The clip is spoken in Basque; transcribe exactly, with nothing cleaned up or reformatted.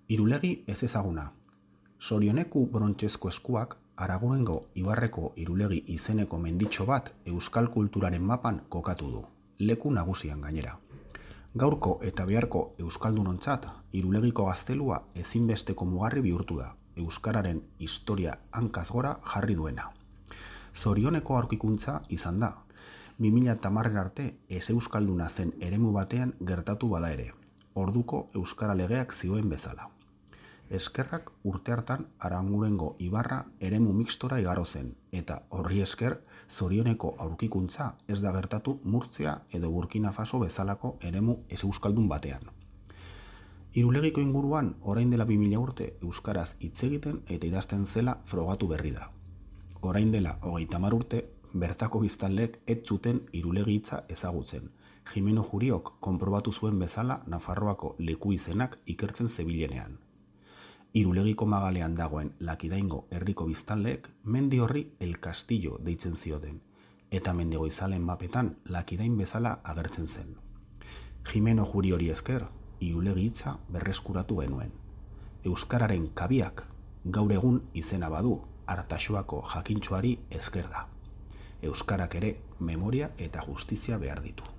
Irulegi ezezaguna. Sorioneku brontxezko eskuak Aragoengo ibarreko Irulegi izeneko menditxo bat euskal kulturaren mapan kokatu du, leku nagusian gainera. Gaurko eta beharko euskaldunontzat Irulegiko gaztelua ezinbesteko mugarri bihurtu da, euskararen historia hankaz gora jarri duena. Zorioneko aurkikuntza izan da, bi mila hamarera arte ez euskalduna zen eremu batean gertatu bada ere, orduko euskara legeak zioen bezala. Eskerrak urte hartan Arangurengo ibarra eremu mixtora igaro zen, eta horri esker Zorioneko aurkikuntza ez da gertatu Murtzia edo Burkina Faso bezalako eremu ez euskaldun batean. Irulegiko inguruan orain dela bi mila urte euskaraz hitz egiten eta idazten zela frogatu berri da. Orain dela hogeita hamar urte bertako biztanleek ez zuten Irulegi hitza ezagutzen. Jimeno Juriok konprobatu zuen bezala Nafarroako leku izenak ikertzen zebilenean. Irulegiko magalean dagoen Lakidaingo herriko biztanleek mendi horri El Castillo deitzen zioten, eta Mendigoizalen mapetan Lakidain bezala agertzen zen. Jimeno Juri hori esker, Irulegi hitza berreskuratu genuen. Euskararen kabiak gaur egun izena badu Artaxoako jakintxoari esker da. Euskarak ere memoria eta justizia behar ditu.